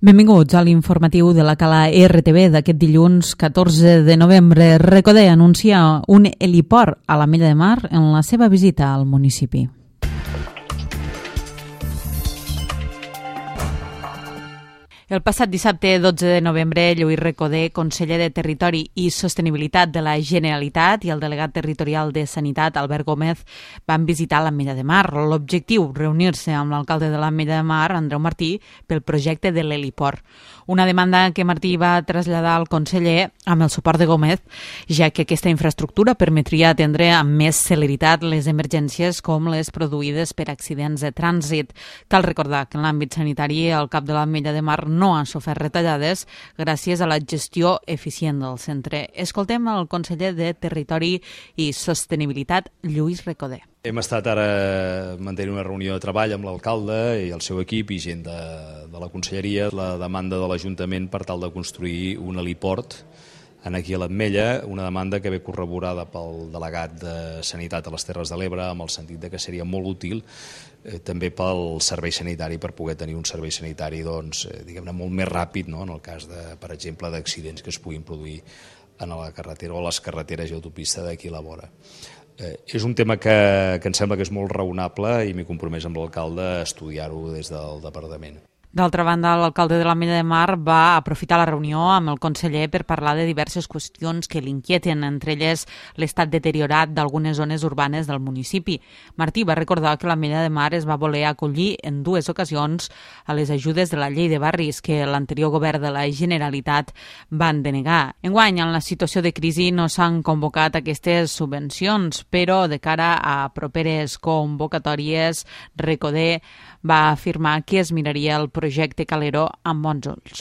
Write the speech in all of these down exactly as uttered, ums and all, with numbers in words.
Benvinguts a l'informatiu de la Cala R T V d'aquest dilluns catorze de novembre. Recodé anuncia un heliport a l'Ametlla de Mar en la seva visita al municipi. El passat dissabte dotze de novembre, Lluís Recodé, conseller de Territori i Sostenibilitat de la Generalitat, i el delegat territorial de Sanitat, Albert Gómez, van visitar l'Ametlla de Mar. L'objectiu, reunir-se amb l'alcalde de l'Ametlla de Mar, Andreu Martí, pel projecte de l'heliport. Una demanda que Martí va traslladar al conseller amb el suport de Gómez, ja que aquesta infraestructura permetria atendre amb més celeritat les emergències com les produïdes per accidents de trànsit. Cal recordar que en l'àmbit sanitari el cap de l'Ametlla de Mar no ha sofert retallades gràcies a la gestió eficient del centre. Escoltem el conseller de Territori i Sostenibilitat, Lluís Recodé. Hem estat ara mantenint una reunió de treball amb l'alcalde i el seu equip i gent de, de la conselleria, la demanda de l'Ajuntament per tal de construir un heliport aquí a l'Ametlla, una demanda que ve corroborada pel delegat de Sanitat a les Terres de l'Ebre, amb el sentit de que seria molt útil eh, també pel servei sanitari, per poder tenir un servei sanitari doncs, eh, diguem-ne, molt més ràpid, no? En el cas, de, per exemple, d'accidents que es puguin produir en la carretera o a les carreteres i autopista d'aquí a la vora. Eh, és un tema que, que em sembla que és molt raonable i m'he compromès amb l'alcalde a estudiar-ho des del departament. D'altra banda, l'alcalde de l'Ametlla de Mar va aprofitar la reunió amb el conseller per parlar de diverses qüestions que l'inquieten, entre elles l'estat deteriorat d'algunes zones urbanes del municipi. Martí va recordar que l'Ametlla de Mar es va voler acollir en dues ocasions a les ajudes de la llei de barris que l'anterior govern de la Generalitat van denegar. Enguany, en la situació de crisi no s'han convocat aquestes subvencions, però de cara a properes convocatòries, Recodé va afirmar que es miraria el projecte Calero amb bons ulls.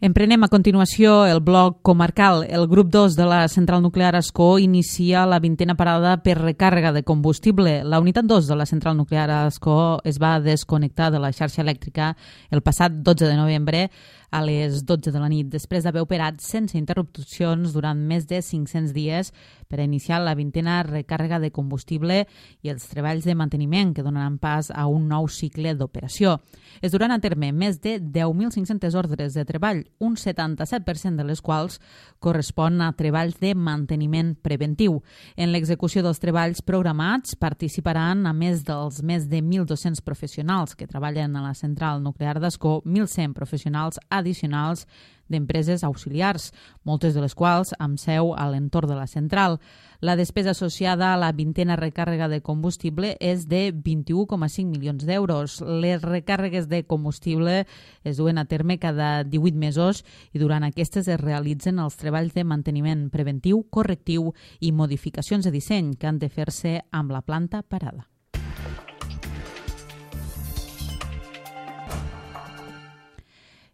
Emprenem a continuació el bloc comarcal. El grup dos de la central nuclear Ascó inicia la vintena parada per recàrrega de combustible. La unitat dos de la central nuclear Ascó es va desconnectar de la xarxa elèctrica el passat dotze de novembre a les dotze de la nit, després d'haver operat sense interrupcions durant més de cinc-cents dies per a iniciar la vintena recàrrega de combustible i els treballs de manteniment que donaran pas a un nou cicle d'operació. Es duran a terme més de deu mil cinc-centes ordres de treball, un setanta-set per cent de les quals correspon a treballs de manteniment preventiu. En l'execució dels treballs programats participaran a més dels més de mil dos-cents professionals que treballen a la central nuclear d'Ascó, mil cent professionals addicionals d'empreses auxiliars, moltes de les quals amb seu a l'entorn de la central. La despesa associada a la vintena recàrrega de combustible és de vint-i-u coma cinc milions d'euros. Les recàrregues de combustible es duen a terme cada divuit mesos i durant aquestes es realitzen els treballs de manteniment preventiu, correctiu i modificacions de disseny que han de fer-se amb la planta parada.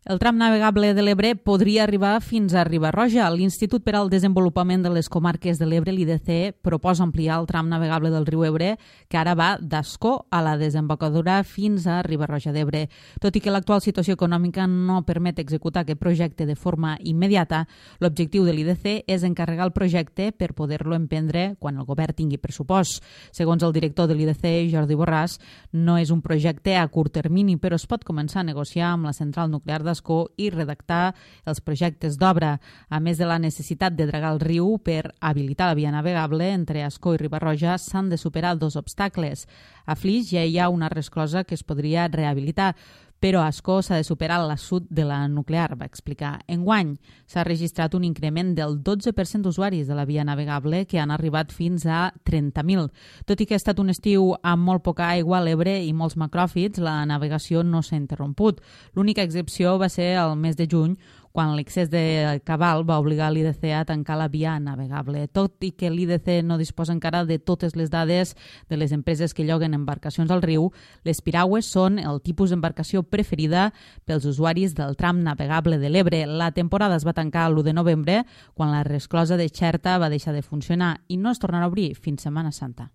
El tram navegable de l'Ebre podria arribar fins a Riba-roja. L'Institut per al Desenvolupament de les Comarques de l'Ebre, l'I D C, proposa ampliar el tram navegable del riu Ebre, que ara va d'Ascó a la desembocadura fins a Riba-roja d'Ebre. Tot i que l'actual situació econòmica no permet executar aquest projecte de forma immediata, l'objectiu de l'I D C és encarregar el projecte per poder-lo emprendre quan el govern tingui pressupost. Segons el director de l'I D C, Jordi Borràs, no és un projecte a curt termini, però es pot començar a negociar amb la central nuclear de i redactar els projectes d'obra, a més de la necessitat de dragar el riu per habilitar la via navegable entre Ascó i Riba-roja s'han de superar dos obstacles. A Flix ja hi ha una resclosa que es podria rehabilitar, però a Ascó s'ha de superar l'assut de la nuclear, va explicar. Enguany s'ha registrat un increment del dotze per cent d'usuaris de la via navegable que han arribat fins a trenta mil. Tot i que ha estat un estiu amb molt poca aigua a l'Ebre i molts macròfits, la navegació no s'ha interromput. L'única excepció va ser el mes de juny, quan l'excés de cabal va obligar l'I D C a tancar la via navegable. Tot i que l'I D C no disposa encara de totes les dades de les empreses que lloguen embarcacions al riu, les piragües són el tipus d'embarcació preferida pels usuaris del tram navegable de l'Ebre. La temporada es va tancar l'u de novembre, quan la resclosa de Xerta va deixar de funcionar i no es tornarà a obrir fins Setmana Santa.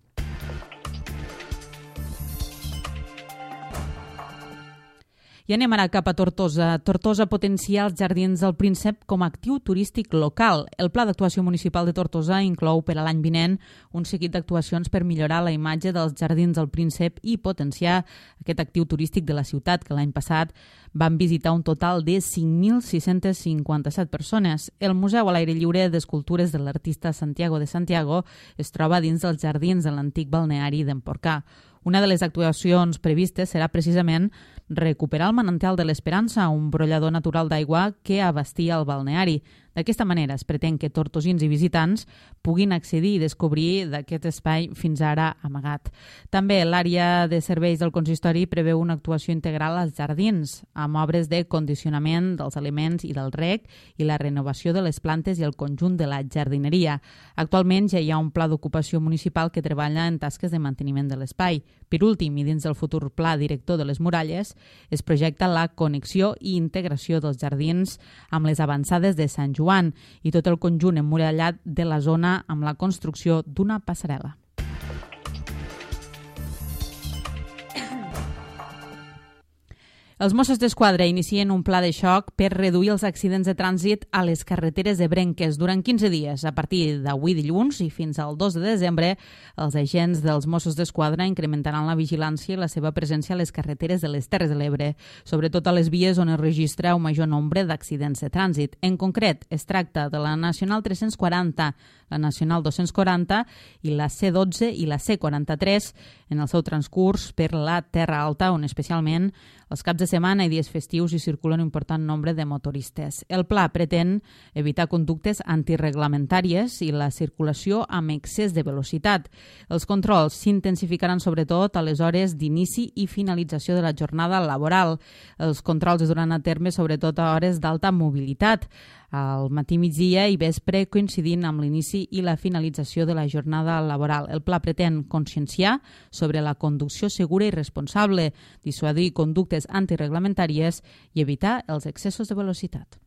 I I anem ara cap a Tortosa. Tortosa potencia els Jardins del Príncep com a actiu turístic local. El Pla d'Actuació Municipal de Tortosa inclou per a l'any vinent un seguit d'actuacions per millorar la imatge dels Jardins del Príncep i potenciar aquest actiu turístic de la ciutat, que l'any passat van visitar un total de cinc mil sis-centes cinquanta-set persones. El Museu a l'aire lliure d'Escultures de l'artista Santiago de Santiago es troba dins dels jardins de l'antic balneari d'Emporcà. Una de les actuacions previstes serà precisament recuperar el manantial de l'Esperança, un brollador natural d'aigua que abastia el balneari. D'aquesta manera es pretén que tortosins i visitants puguin accedir i descobrir d'aquest espai fins ara amagat. També l'àrea de serveis del consistori preveu una actuació integral als jardins, amb obres de condicionament dels aliments i del reg i la renovació de les plantes i el conjunt de la jardineria. Actualment ja hi ha un pla d'ocupació municipal que treballa en tasques de manteniment de l'espai. Per últim, i dins del futur pla director de les muralles, es projecta la connexió i integració dels jardins amb les avançades de Sant Joan i tot el conjunt emmurallat de la zona amb la construcció d'una passarel·la. Els Mossos d'Esquadra inicien un pla de xoc per reduir els accidents de trànsit a les carreteres ebrenques durant quinze dies. A partir d'avui dilluns i fins al dos de desembre, els agents dels Mossos d'Esquadra incrementaran la vigilància i la seva presència a les carreteres de les Terres de l'Ebre, sobretot a les vies on es registra un major nombre d'accidents de trànsit. En concret, es tracta de la Nacional tres-cents quaranta, la Nacional dos-cents quaranta i la C dotze i la C quaranta-tres en el seu transcurs per la Terra Alta, on especialment els caps de setmana i dies festius hi circula un important nombre de motoristes. El pla pretén evitar conductes antirreglamentàries i la circulació amb excés de velocitat. Els controls s'intensificaran sobretot a les hores d'inici i finalització de la jornada laboral. Els controls es duran a terme sobretot a hores d'alta mobilitat, al matí, migdia i vespre, coincidint amb l'inici i la finalització de la jornada laboral. El pla pretén conscienciar sobre la conducció segura i responsable, dissuadir conductes antirreglamentàries i evitar els excessos de velocitat.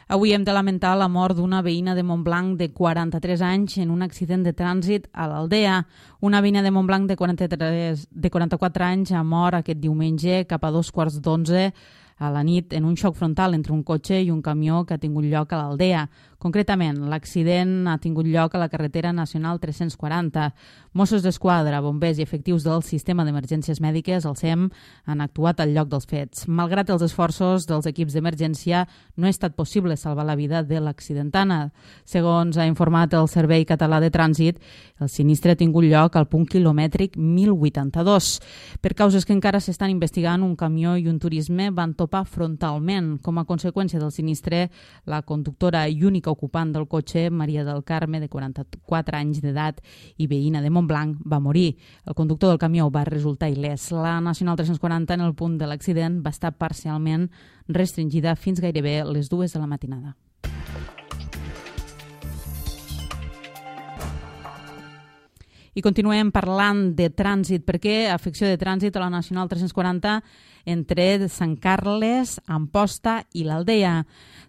Avui hem de lamentar la mort d'una veïna de Montblanc de quaranta-tres anys en un accident de trànsit a l'Aldea. Una veïna de Montblanc de quaranta-tres, de quaranta-quatre anys ha mort aquest diumenge cap a dos quarts d'onze a la nit en un xoc frontal entre un cotxe i un camió que ha tingut lloc a l'Aldea. Concretament, l'accident ha tingut lloc a la carretera nacional tres-cents quaranta. Mossos d'Esquadra, bombers i efectius del Sistema d'Emergències Mèdiques, el S E M, han actuat al lloc dels fets. Malgrat els esforços dels equips d'emergència, no ha estat possible salvar la vida de l'accidentana. Segons ha informat el Servei Català de Trànsit, el sinistre ha tingut lloc al punt quilomètric mil vuitanta-dos. Per causes que encara s'estan investigant, un camió i un turisme van topar frontalment. Com a conseqüència del sinistre, la conductora i única ocupant del cotxe, Maria del Carme, de quaranta-quatre anys d'edat i veïna de Montblanc, va morir. El conductor del camió va resultar il·lès. La Nacional tres-cents quaranta, en el punt de l'accident, va estar parcialment restringida fins gairebé les dues de la matinada. I continuem parlant de trànsit, perquè afecció de trànsit a la Nacional tres-cents quaranta entre Sant Carles, Amposta i l'Aldea.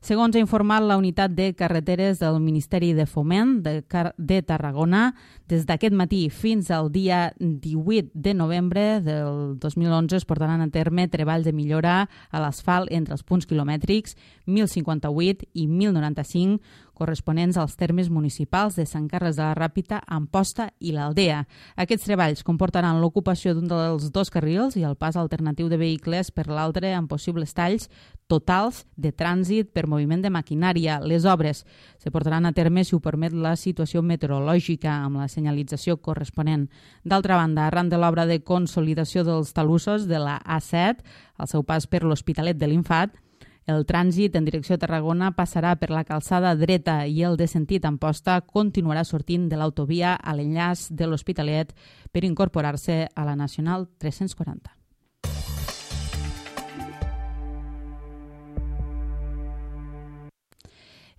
Segons ha informat la unitat de carreteres del Ministeri de Foment de, Car de Tarragona, des d'aquest matí fins al dia divuit de novembre del dos mil onze es portaran a terme treballs de millora a l'asfalt entre els punts quilomètrics mil cinquanta-vuit i mil noranta-cinc, corresponents als termes municipals de Sant Carles de la Ràpita, Amposta i l'Aldea. Aquests treballs comportaran l'ocupació d'un dels dos carrils i el pas alternatiu de vehicles per l'altre amb possibles talls totals de trànsit per moviment de maquinària. Les obres se portaran a terme si ho permet la situació meteorològica amb la senyalització corresponent. D'altra banda, arran de l'obra de consolidació dels talussos de la A set, al seu pas per l'Hospitalet de l'Infant, el trànsit en direcció a Tarragona passarà per la calçada dreta i el de sentit Amposta continuarà sortint de l'autovia a l'enllaç de l'Hospitalet per incorporar-se a la Nacional tres-cents quaranta.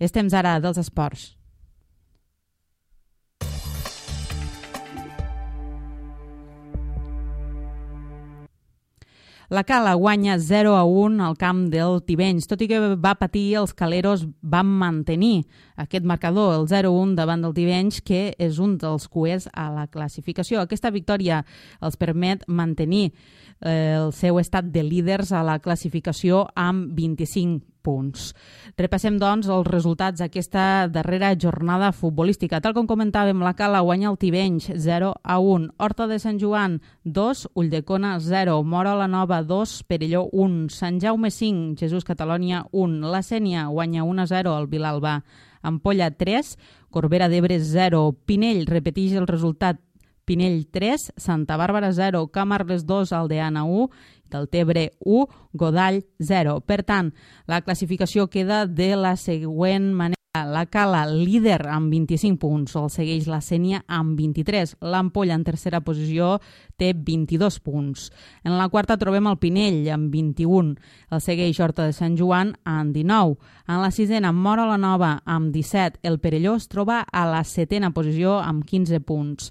És temps ara dels esports. La Cala guanya zero a un al camp del Tivenys. Tot i que va patir, els caleros van mantenir aquest marcador, el zero a un davant del Tivenys, que és un dels cuers a la classificació. Aquesta victòria els permet mantenir eh, el seu estat de líders a la classificació amb vint-i-cinc punts. Repassem, doncs, els resultats d'aquesta darrera jornada futbolística. Tal com comentàvem, la Cala guanya el Tivenys zero a un, Horta de Sant Joan dos, Ulldecona zero, Móra la Nova dos, Perelló un, Sant Jaume cinc, Jesús Catalònia un, la Sénia guanya un a zero al Vilalba, Ampolla tres, Corbera d'Ebre zero, Pinell repeteix el resultat, Pinell tres, Santa Bàrbara zero, Camarles dos, Aldeana u, Deltebre u, Godall zero. Per tant, la classificació queda de la següent manera. La Cala, líder amb vint-i-cinc punts, el segueix la Sénia amb vint-i-tres. L'Ampolla, en tercera posició, té vint-i-dos punts. En la quarta trobem el Pinell amb vint-i-un. El segueix Horta de Sant Joan amb dinou. En la sisena, Móra la Nova amb disset. El Perelló es troba a la setena posició amb quinze punts.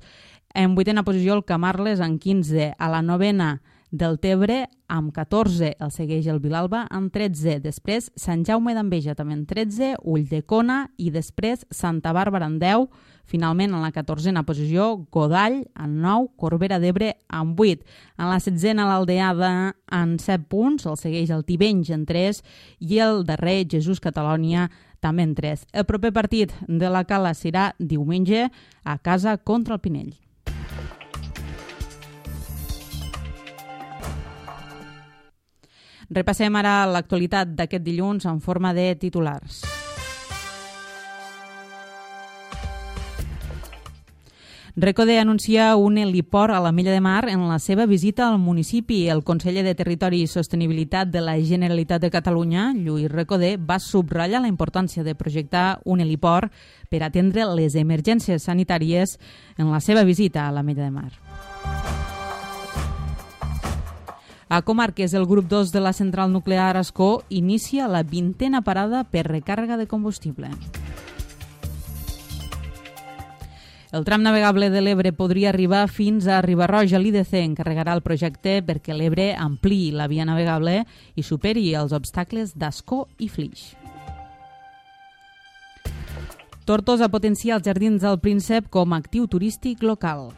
En vuitena posició, el Camarles amb quinze. A la novena, Deltebre amb catorze, el segueix el Vilalba amb tretze, després Sant Jaume d'Enveja també amb tretze, Ulldecona i després Santa Bàrbara amb deu, finalment en la catorzena posició Godall amb nou, Corbera d'Ebre amb vuit, en la setzena l'Aldeada amb set punts, el segueix el Tivenys amb tres i el darrer Jesús Catalònia també amb tres. El proper partit de la Cala serà diumenge a casa contra el Pinell. Repassem ara l'actualitat d'aquest dilluns en forma de titulars. Recode anuncia un heliport a l'Ametlla de Mar en la seva visita al municipi. El conseller de Territori i Sostenibilitat de la Generalitat de Catalunya, Lluís Recode, va subratllar la importància de projectar un heliport per atendre les emergències sanitàries en la seva visita a l'Ametlla de Mar. A Comarques, el grup dos de la central nuclear Ascó inicia la vintena parada per recàrrega de combustible. El tram navegable de l'Ebre podria arribar fins a Riba-roja. L'I D C encarregarà el projecte perquè l'Ebre ampliï la via navegable i superi els obstacles d'Ascó i Flix. Tortosa potencia els jardins del Príncep com a actiu turístic local.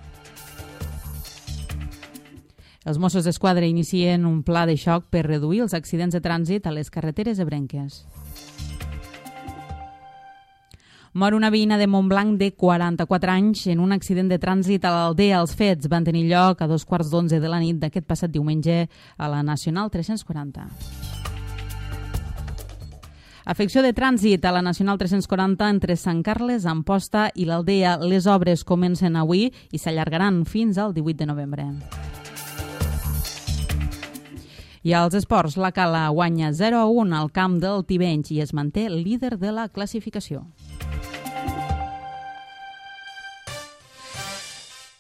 Els Mossos d'Esquadra inicien un pla de xoc per reduir els accidents de trànsit a les carreteres ebrenques. Mor una veïna de Montblanc de quaranta-quatre anys en un accident de trànsit a l'Aldea. Els fets van tenir lloc a dos quarts d'onze de la nit d'aquest passat diumenge a la Nacional tres-cents quaranta. Afecció de trànsit a la Nacional tres-cents quaranta entre Sant Carles, Amposta i l'Aldea. Les obres comencen avui i s'allargaran fins al divuit de novembre. I als esports, la Cala guanya zero a un al camp del Tivenys i es manté líder de la classificació.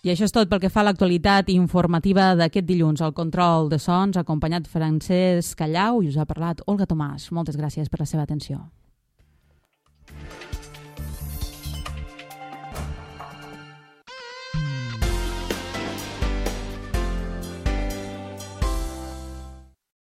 I això és tot pel que fa a l'actualitat informativa d'aquest dilluns. Al control de sons, acompanyat Francesc Callau, i us ha parlat Olga Tomàs. Moltes gràcies per la seva atenció.